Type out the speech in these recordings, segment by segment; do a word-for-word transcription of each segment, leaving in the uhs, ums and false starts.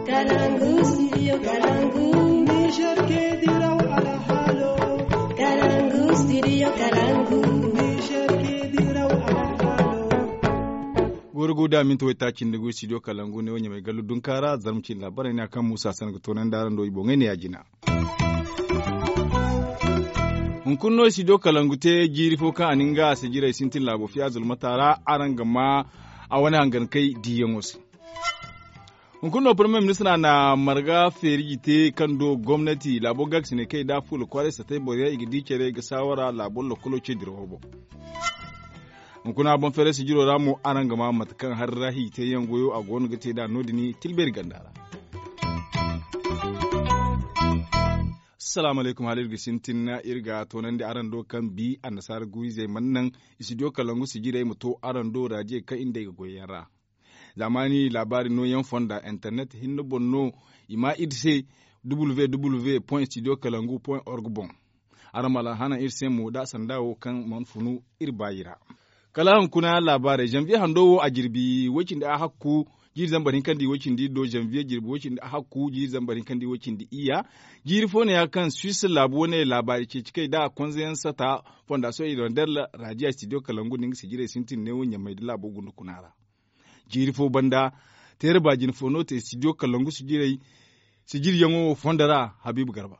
Kalangu, studio Kalangu. Niger ke diraw alhalo. Kalangu, studio Kalangu. Niger ke diraw alhalo. Goro go da minti waytaaci nda go studio Kalangu ne wo ɲamay gallu dunkaara zarma cine laabaray ne a kaŋ muusa sanda ga toonandi araŋ do i boŋey ne ya jina. Hunkuna no studio Kalangu te jiiri fo kaŋ a na nga a sijirey sintin laabo fiya zulmata ra araŋ ga ma a wane hangankey diiyaŋo se. Hunkuna no parmiye ministra na marga feeriji te kaŋ do gomnati laabo gaakasiney kaŋ i da fuula kwaaray satay boroyaŋ i ga di care ga saawara laabo lokkolo ce dirawo boŋ. Hunkuna boŋ feeray sijiro ra mo araŋ ga ma mate kaŋ hari ra hi te yaŋ goyo a go no ga te nd'a no- din tilbeeri ganda ra. Salaamu alaykum hala iri ga sintin iri ga toonandi araŋ do kaŋ bi annasaara guurizey mana naŋ studio kalangu sijirey ma to araŋ do raadiyo kaŋ iri nda ay ga goy yaŋ ra. Zaamaani laabaari nooyaŋ fonda internet hinne boŋ no i ma iri se. W W W point studio kalangu point org boŋ. Araŋ ma alhana iri se mo da sanda wo kaŋ mana funu iri baayi ra. Kala hunkuna laabaarey zanviye hando wo a jirbi way-cindi ahakku jiiri zambar hinkandi way-cindi do zanviye jirbi way-cindi ahakku jiiri zambar hinkandi way-cindi iyya. Jiiri fo ne ya kaŋ swiss laabu wane laabaari ceeci kay da konzeyaŋ sata fondasiyoŋ irondel raadiya studio kalangu nda nga sijirey sintin neewo ɲamay da laabo gunda kuna ra. Jiiri fo banda teera baajina fo no te studio kalangu sijirey sijiryaŋo fondo ra habiibu garba.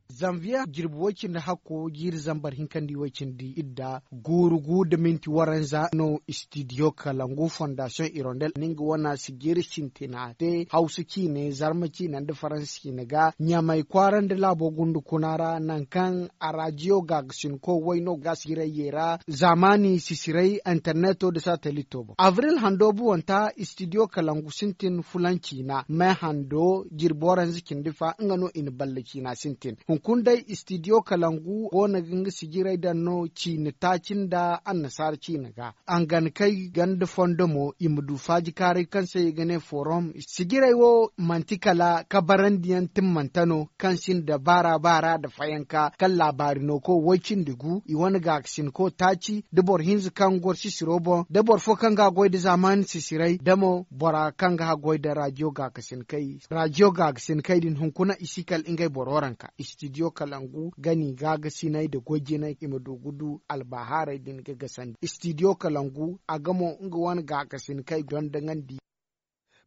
Zanviye jirbi way-cindi hakko jiiri zambar hinkandi way-cindi idda guuru gu nda minti waranza no studio kalangu fondasiyoŋ irondel na nga wane sijiri sintina te hawsa ciine zarma ciine nda faransa ciine ga ɲamay kwaara nda laabo gundu kuna ra nankaŋ a raadiyo gaagasinko way no ga sijirey yeera zaamaani sisiray interneto nda satelito boŋ abril hando buwanta studio kalangu sintin fulaŋ ciina me hando jirbi waranza cindi fa nga no i na balla ciina sintin hunkuna day studio kalangu go no ga nga sijirey daŋ no ciina taaci nda annasaara ciina ga angankey ganda fondo mo i ma du faajikaaray kaŋ se i ga ne forom sijirey wo manti kala kabarandiyaŋ timmante no kaŋ sinda baara baara nda fayanka kaŋ laabaari no koy way-cindi gu i wane gaakasinko taaci da boro hinza kaŋ goro sisiro boŋ da boro fo kaŋ ga a goy nda zaamaani sisiray da mo bora kaŋ ga a goy nda raadiyo gaakasinkey raadiyo gaakasinkey din hunkuna i si kala ngey boro ranka studio kalangu gani gaagasiney nda goy jinay i ma du ga du albahaaray din ga gasandi studio kalangu a ga mo nga wane gaakasin kay dondoŋandi.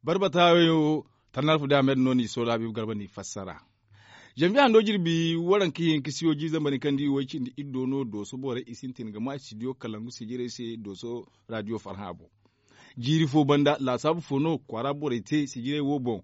Barbata yo tannarfu da ahmed no ni soola habiibu garba ni fassara. Zanviye hando jirbi waranka hinkasiyo jiiri zambar hinkandi way-cindi iddo no dooso borey i sintin ga ma studio kalangu sijirey se dooso raadiyo farhã boŋ. Jiiri fo banda laasaabu fo no kwaara borey te sijirey wo boŋ.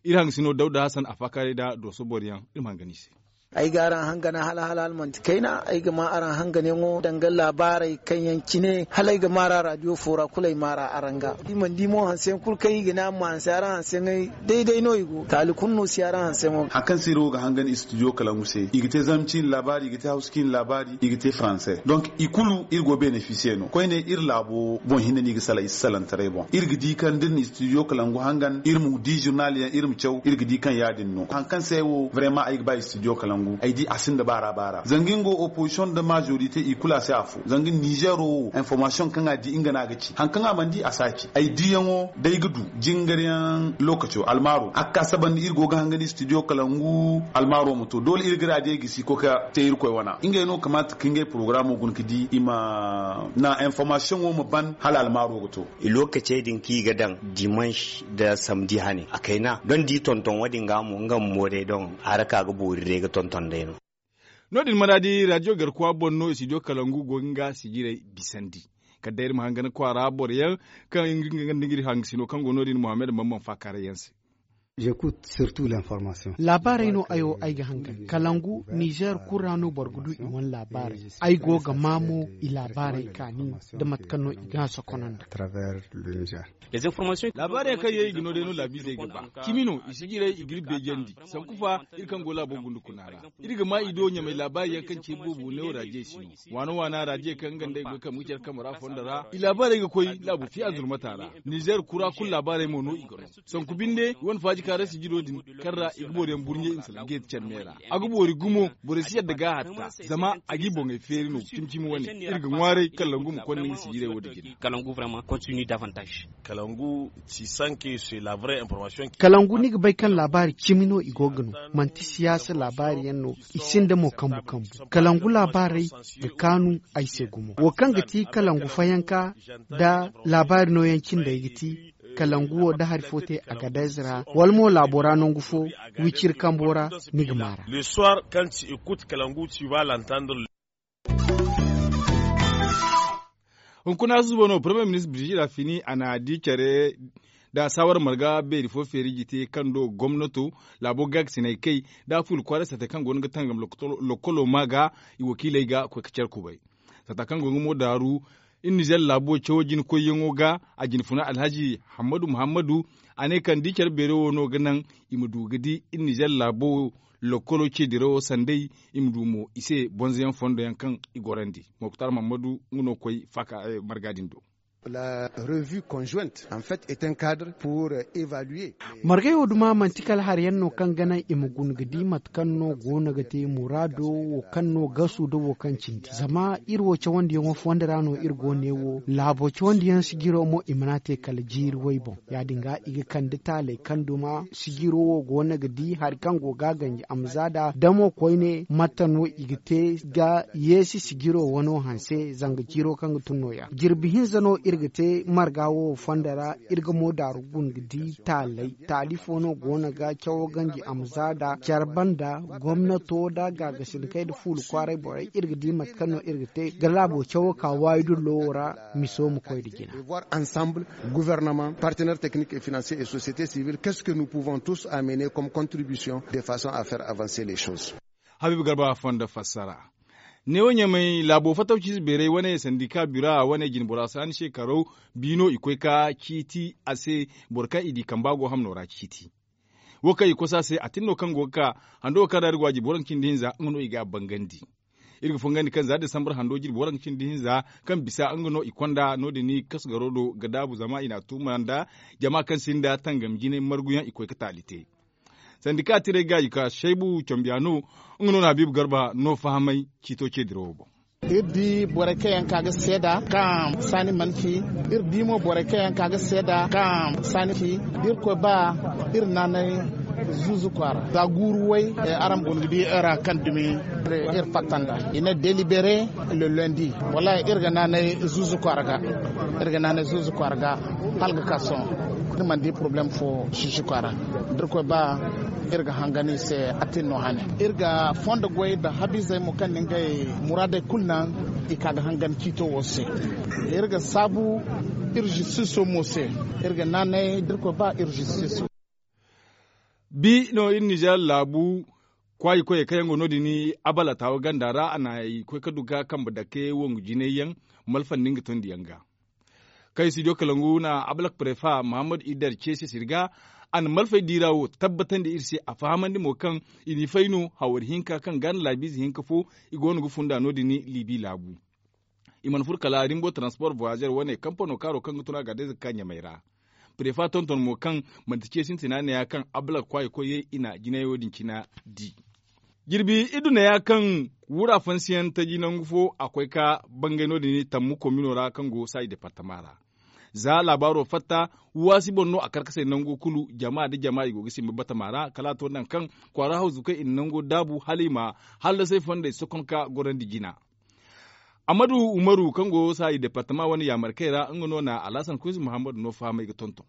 Iri hangasino dawda hasan a faakaaray nda dooso boro yaŋ iri ma hangana i se. Ay ga araŋ hangana hala hala hala manti kayna ay ga ma araŋ hanganayaŋo danga laabaarey kaŋ yaŋ cine hala ay ga ma ra raadiyo fo ra kulu ay ma ra araŋ ga i mana di mo hanseyaŋ kulu kaŋ i ga ne araŋ ma hanse araŋ hanseyaŋey day day no i go taali kulu no si araŋ hanseyaŋo. Hari kaŋ se iri wo ga hangan studio kalangu se i ga te zarma ciine laabaari i ga te hawsa ciine laabaari i ga te faranse donk i kulu iri go benefisiye no koyne iri laabo boŋ hinne no i ga salaŋ i si salaŋ taray boŋ iri ga di kaŋ da iri na studio kalangu hangan iri ma di zurnal yaŋ iri ma caw iri ga di kaŋ ya- din no hari kaŋ se ay wo brema ay ga ba studio kalangu ay di a sinda baara baara zanga nga wo opozisiyoŋ nda majorite i kulu a si afo zanga ninzeero wo informasiyoŋ kaŋ a di nga no a ga ci hari kaŋ a mana di a si a ci ay diyaŋo da ay ga du jingaryaŋ lokaco almaaro a ga ka saba nda iri go ga hangandi studio kalangu almaaro ma to doole iri ga raadiyo gisi ga koy ga te irkoy wana ngey no kamaata ka ngey porogaraamo guna ga di i ma na informasiyoŋo ma ban hala almaaro ga to. I lookacey din kaŋ i ga daŋ dimanš nda samedi hane a kayna doŋ da i tonton wo- din ga mo nga bumbo day doŋ haraka ga boori day ga tonton day no. No- din maraadi raadiyo garkuwa boŋ no studio kalangu go ga nga sijirey bisandi. Kala day iri ma hangan kwaara boro yaŋ kaŋ nga nda nga iri hangasino kaŋ go no- din muhammad bamban faakaaray yaŋ se. Laabaarey no ay wo ay ga hangan kalangu ninzeer kulu ra no boro ga du i wane laabaarey. Ay go ga maa mo i laabaarey kaani nda mate kaŋ no i ga a sokonandi. Laabaarey yaŋ kaŋ yaŋ i ga no day no laabiizey ga ba cimi no i si jiray i ga iri beejandi. Sanku fa iri kaŋ go laabo gundukuna ra iri ga maa i do ɲamay laabaarey yaŋ kaŋ ci iri boobo neewo raajey si no. Waana waana raajey kaŋ nga nda ay goy kaŋ ga care kambe ra fondo ra i laabaarey ga koy laabo fiya zurmata ra. Ninzeer kura kulu laabaarey mo no i ga no. Sanku binde i wane faaji. Kaara sijiro din kaŋ ra i ga boro yaŋ burɲe i ma salaŋ ga yadda care me ra. A ga boori gumo borey si yadda ga a hatta zama a g'i boŋey feeri no cimi cimi wane. Iri ga ŋwaaray kalangu ma konda nga sijirey wo- din jina. Kalangu vraiment continue davantage. Kalangu si sanke se la vraie information. Kalangu ni ga bay kaŋ laabaari cimi no i go ga no. Manti siyaasa laabaari yaŋ no. I sinda mo kambu kambu. Kalangu laabaarey ga kaanu ay se gumo. Wo kaŋ ga ti kalangu fayanka nda laabaari nooyaŋ cindey ga ti kalangu wo da hari fo te a ga day zira wala mo laabo ra nangu fo wiciri kambo ra. Ni ga maara. Hunkun a susuba no premier ministre birjira fini a na di care da saawara marga beeri fo feeri jite kaŋ do gomnato laabo gaakasinay kay da a fuula kwaara sate kaŋ go no ga tangam lokolo ma ga i wakiiley ga koy ga care kubay. Sata kaŋ go ga mo daaru iri nizer laabo cawo jina koyyaŋo ga a jina funa alhazi hammadu muhammadu. A ne kaŋ di care beere wo no ga naŋ i ma du ga di iri nizer laabo lokolo ce dirawo sanday i ma du mo i se bonzoyaŋ fondo yaŋ kaŋ i gorandi. Moktar muhammadu nga no koy faaka marga din do. La revue conjointe en fait est un cadre pour évaluer. Margay wo duma manti kala hari yaŋ no kaŋ ga naŋ i ma guna ga di mate kaŋ no go no ga te muraado wo kaŋ no gasu nda wo kaŋ cindi zama iri wo cawandiyaŋo fondo ra no iri go ne wo laabo cawandiyaŋ sijiro mo i mana te kala jiiri way boŋ. Ya- din ga i ga kande taaley kaŋ duma sijiro wo go no ga di hari kaŋ go ga a ganji a ma za nd'a damo koyne mate no i ga te ga yeesi sijiro wano hanse zanga jiiro kaŋ ga tun no- ya jirbi hinza no iri ga te marga wo fondo ra. Iri ga mo daaru guna ga di taaley taali fo no go no ga cawo ganji a ma za nd'a care banda gomnato nda gaagasinakey nda fuula kwaaray borey iri ga di mate kaŋ no iri ga te ga laabo cawo ka waayi dullo wo ra. Miso ma koy nda jina. Voir ensemble gouvernement partenaire technique et financier et société civile qu'est ce que nous pouvons tous amener comme contribution de façon à faire avancer les choses. Habiibu garba fondo fassara. Neewo ɲamay laabo fattaw ciize beeray wane sandika bira wane jinbora saani se karaw biino i koy ka ciiti a se. Boro kaŋ i di kamba go hamno ra ciiti wo kaŋ i kosa se a tin no kaŋ go ga ka hando kaŋ ra iri go a jinbora nda cindi hinza nga no i ga a bangandi. Iri ga fongandi kaŋ za desambar hando jinbora nda cindi hinza kaŋ bisa nga no i konda no- din kasu garo do ga daabu zama i n'a tuuma nda jama kaŋ sinda tangam jinay marguyaŋ i koy ga taali te. Sandika tirey gaaji ka shaybu cambiya no nga no na habiibu garba no fahamay ciito ce dirawo boŋ. Iri di borey kaŋ yaŋ ka ga seeda kaŋ saani mana ci. Iri di mo borey kaŋ yaŋ ka ga seeda kaŋ saani ci. Da iri koy ba iri naanay zuuzu kwaara za guuru way. Araŋ guna ga di iri ra kaŋ dumi iri fatta nd'a i ne delibere le lundi. Wallaahi iri ga naanay zuuzu kwaara ga iri ga naanay zuuzu kwaara ga hala ga ka sohõ. Iri mana di poroblem fo zuuzu kwaara da iri koy ba iri ga hangan i se. A tin no hane iri ga fondo goy nda habiizey mo kaŋ na ngey muraadey kulu naŋ i ka ga hangan ciito wo se. Iri ga saabu iri justiso mo se. Iri ga naanay da iri koy ba iri justiso. Bi no iri nizer laabu kwaayi koyey kaŋ yaŋ go no- din abalatawa ganda ra a na i koy ga du ga kambe dake wongu jinay yaŋ malfandi nga tondi yaŋ ga. Kaŋ i studio kalangu na ablak prefa muhammad idar ceesi sirga a na malfay diira wo tabbatandi iri se a fahamandi mo kaŋ i n'i fay no hawari hinka kaŋ ga na laabiize hinka fo i go no ga funda no- din libi laabu. I mana furo kala rimbo transport voyager wane kampano kaaro kaŋ ga tun a ga day zakka ɲamay ra. Prefa tonton mo kaŋ manti ce sintina neeya kaŋ ablak kwaayi koyey i na jinayo din cina di. Jirbi iddu neeya kaŋ wura fansiyaŋ taji nangu fo a koy ka bangay no- din tammu komino ra kaŋ go saayi departama ra. Za laabaaro fatta waasi boŋ no a karkasay nango kulu jama nda jama i go ga simba batama ra kala a to naŋ kaŋ kwaara hawzukey i na nango daabu hala i ma hallasay fondey sokon ka gorandi jina. Ammadu umaru kaŋ go saayi departama wane yaamarkey ra nga no na alhasan kusi muhammadu no fahamay ga tonton.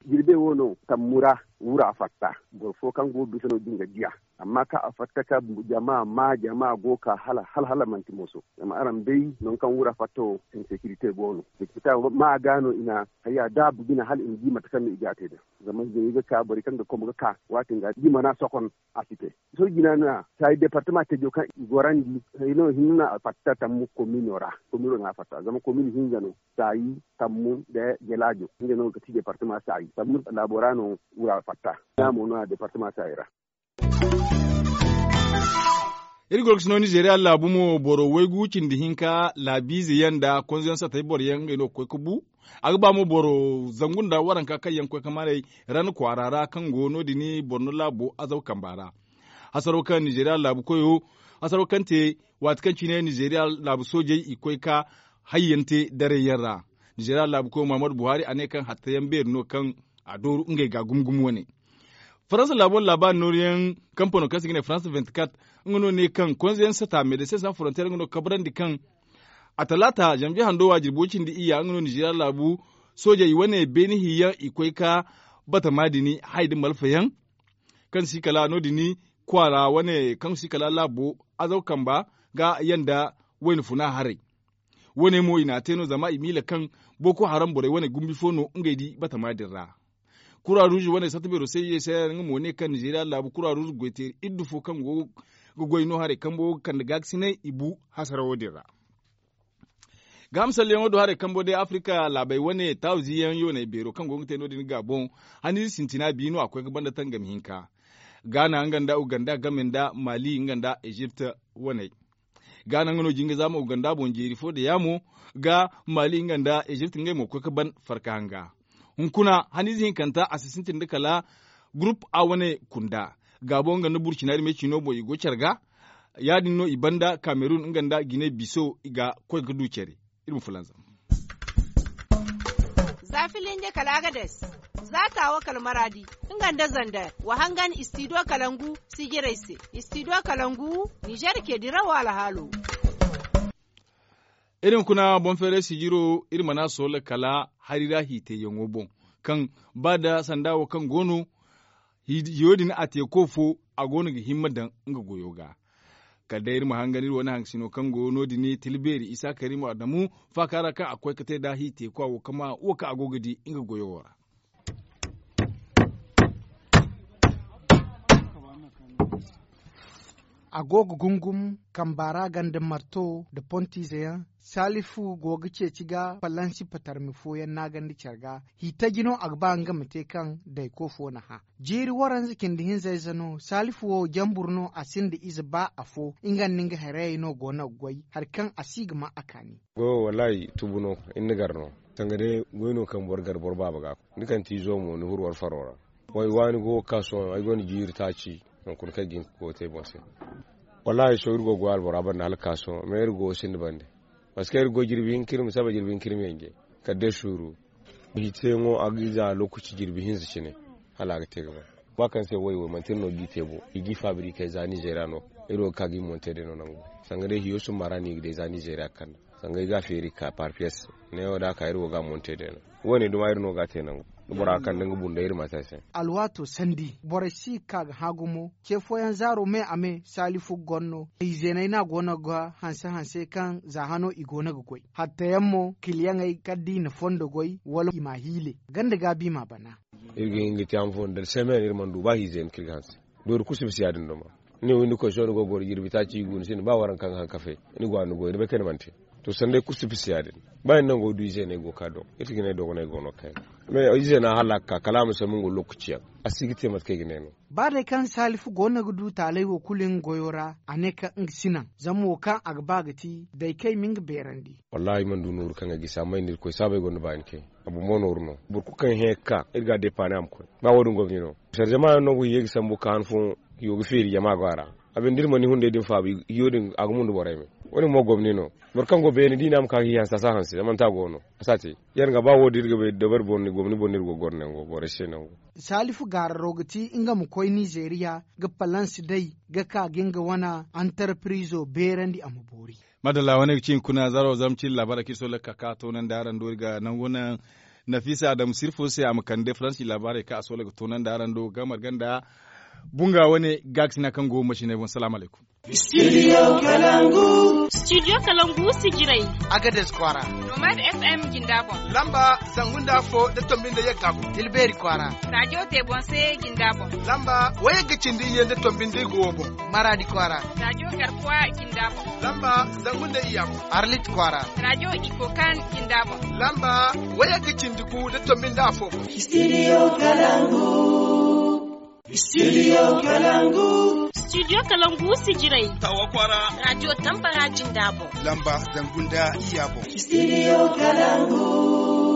Jirbe wo no tammu ra wura fatta boro fo kaŋ go bisa no din ga diya. Amma kaŋ a fatta ka jama ma jama go ka hala hala hala manti moso. Zama araŋ bay nangu kaŋ wura fatta wo insekirite go no. Sekirite ma ga no i na hayya daabu bine hala i ma di mate kaŋ no i ga a te da. Zama zey ga ka borey kaŋ ga komo ga ka waati nga di mana sokon a si te. Sohõ jina no ya saayi departama tejo kaŋ i gorandi. Hayno hinne no a fatta tammu komino ra. Komino no a fatta zama komino hinza no. Saayi tammu nda jelaajo hinza no ga ti departama saayi tammu laabo ra no wura fatta. Ina mo no a departama saayi ra. Iri goro ga si no nizeeriya laabu mo boro waygu cindi hinka laabiize yaŋ nda konzo yaŋ satay boro yaŋ ngey no ga koy ga bu. A ga ba mo boro zangu nda waranka kaŋ yaŋ ga koy ga maray ran kwaara ra kaŋ go no- din borno laabo azaw kamba ra. Hasaro kaŋ nizeeriya laabu koyo hasaro kaŋ te waati kaŋ cine nizeeriya laabu soojey i ga koy ga hayyaŋ te daray yaŋ ra. Nizeeriya laabu koyo muhammadu buhari a ne kaŋ hatta yaŋ beeri no kaŋ a dooru ngey ga gumo gumo wane. Faransa laabo labaari nooru yaŋ kampano kaŋ se i ga ne faransa vinti kat nga no ne kaŋ konze yaŋ sata medesin san forontiyeer nga no ga kabrandi kaŋ a talaata zanbiye hando waajiri boobo cindi iyya nga no nizeeriya laabu soojey wane beeni hiyaŋ i koy ga batama din haya nda malfa yaŋ kaŋ si kala no- din kwaara wane kaŋ si kala laabo azaw kamba ga yanda wayna funa haray. Wo- ne mo i n'a te no zama i miila kaŋ boko haram borey wane gumbi fo no ngey di batama din ra. Kura ruuzu wane satta beero se i ye se nga mo ne kaŋ nizeeriya laabu kura ruuzu goyteeri iddu fo kaŋ go ga goy no haray kambo ga kande gaakasinay i bu hasarawo din ra. Ga misalyaŋo do haray kambo day afirika laabey wane taawu ziiyaŋ yooney beero kaŋ go ga te no- din ga boŋ haniize sintina bi no a koy ga banda tangam hinka. Gaana nga nda uganda game nda maali nga nda ezipt waney. Gaana nga no jinga zaama uganda boŋ jeeri fo da yaamo ga maali nga nda ezipt ngey mo ga koy ga ban farka hanga. Hunkuna haniize hinkanta a si sintin da kala gurup a wane kunda. Gaabo nga nda burcina iri me ciino boŋ i go care ga. Ya- din no i banda kamerun nga nda gine biso i ga koy ga du care. Iri ma fulanzam. Za filinje kala agades, za taawo kala maraadi, nga nda zander wa hangan istidiyo kalangu sijirey se. Istidiyo kalangu nizer ke dirawo alhaalo. Iri ma kuna boŋ feeray sijiro iri mana soola kala hari ra hiitayyaŋo boŋ, kaŋ ba da sanda wo kaŋ go no hiyo din a te ko fo a go no ga himma daŋ nga goyo ga. Kala day iri ma hangan iri wane haŋgasino kaŋ go no- din tilbeeri isa karimo adamu faaka ra kaŋ a koy ga te nd'a hiitayko a wo ga ma wo kaŋ a go ga di nga goyo wo ra. A go ga gungum kamba ra ganda marto nda pontiize yaŋ. Saalifu go ga ceeci ga falansi patarmi fooyaŋ naagandi care ga. Hiitaji no a ga ba nga ma te kaŋ dayko fo na hã. Jiiri waranza cindi hinza ize no saalifu wo jambur no a sinda ize ba afo. Nga nda nga harayey no go no ga goy hari kaŋ a si ga ma a kaani. Goyo wallaahi tubu no. Iri na gar no sanga day goy no kaŋ boro gar boro baaba ga. Ni kaŋ ti izo mo ni furo war faro ra. Way waani go ga ka sohõ ay gonda jiiri taaci. Hunkuna kaŋ ay ga hin ga go ga te boŋ se. Wallaahi sohõ iri go ga goy albora banda hala ga ka sohõ mais iri go ga sinda bande. Parceque iri go jirbi hinka iri ma saba jirbi hinka iri ma yanje. Kala day suuru. Hiiteyaŋo a ga za lookaci jirbi hinza cine. Hala a ga te ga ban. Ba kaŋ se way wo manti iri no ga i te bo i ga i fabrikey za nizeeriya no. Iri wo ga ka ga i monte day no nangu. Sanga day hiyo sumba ra no i ga day za nizeeriya ga kande. Sanga i ga a feeri ga ka par piyes. Neewo da a ka iri wo ga a monte day no. Wo- ne duma iri no ga a te nangu. Da bora ga kande nga bunda iri ma te a se. Alwaato sandi borey si ga ka ga hã gumo. Ce fooyaŋ zaaro me a me saalifu ga goro no. Izeeney no a go no ga hanse hanse kaŋ za hano i go no ga goy. Hattayaŋ mo kiliyaŋey kala da i na fondo goy wala i m'a hiile. Ganda gaabi i m'a bana. Iri ga hin ga te ham fo nda semen iri mana du ba hiize yaŋ kaŋ iri ga hanse. Doori kulu si bisa ya- din duma. Ni wo ni koy sohõ ni go ga goro jirbi taaci i gu ni sinda ba waranka ga haŋ kafe. Ni go a ni goy ni bay kaŋ ni mana te. To sanday kulu si bisa ya- din. Ba iri nango du ize no ay go ga ka doŋ iri si ga ne dogonay go no ga kay. Mais ize no a hala ga ka kala a ma sambu nga lookaci yaŋ. A si ga te mate kaŋ ay ga ne no. Ba day kaŋ saalifu go no ga du taalay wo kulu nga goyo ra a ne kaŋ nga si naŋ zama wo kaŋ a ga ba ga ti day kaŋ ay ma nga beerandi. Wallaahi ay mana du nooru kaŋ ay gisi amma ay na irkoy saabay gonda baani kay. A bumbo nooru no boro kulu kaŋ hẽ ga ka iri ga a deepaani a ma koy. Ba wo- din gomni no sara jama yaŋ no go hiye ga sambu ga ka han fooyaŋ hiyo ga feeri jama go a ra. A binde iri mana ni hunday din faabu hiyo din a ga mundu borey me. Wo- din mo gomni no. Boro kaŋ go beene da i ne a ma ka ga hi hanse a si a hanse zama manti a go no a si a te. Yaŋ ga ba wo- din iri ga bay dabari boŋ ni gomni boŋ no iri go ga goro nango borey se nango. Saalifu gaararo ga ti nga ma koy nizeeriya ga palans day ga ka ga nga wane antarpirizo beerandi a ma boori. Madalla wane ga ci hunkuna zaro zama cine laabaarey kaŋ iri sohõ ga ka ga toonandi araŋ do iri ga nangu naŋ. Nafiisa adamu sirfo se a ma kande faransi laabaarey kaŋ a sohõ ga toonandi araŋ do ga marga nda bunga wane gaakasina kaŋ go masiney boŋ salaamu alaykum. Studio kalangu. Studio kalangu sijirey. Agades kwaara. Nomad fm jinda boŋ. Lamba zangu nda afo da tombi nda yagga boŋ. Tilbeeri kwaara. Rajo te boŋ se jinda boŋ. Lamba wayagga cindi iyye nda tombi nda igo boŋ. Maraadi kwaara. Rajo garkuwa jinda boŋ. Lamba zangu nda iyya boŋ. Arlit kwaara. Rajo ikokan jinda boŋ. Lamba wayagga cindi gu nda tombi nda afo boŋ. Studio kalangu. Studio Kalangu. Studio Kalangu, Sijirai. Tawa Kwara. Radio Tambara Jindabo. Lamba zangu nda iyya boŋ. Studio Kalangu.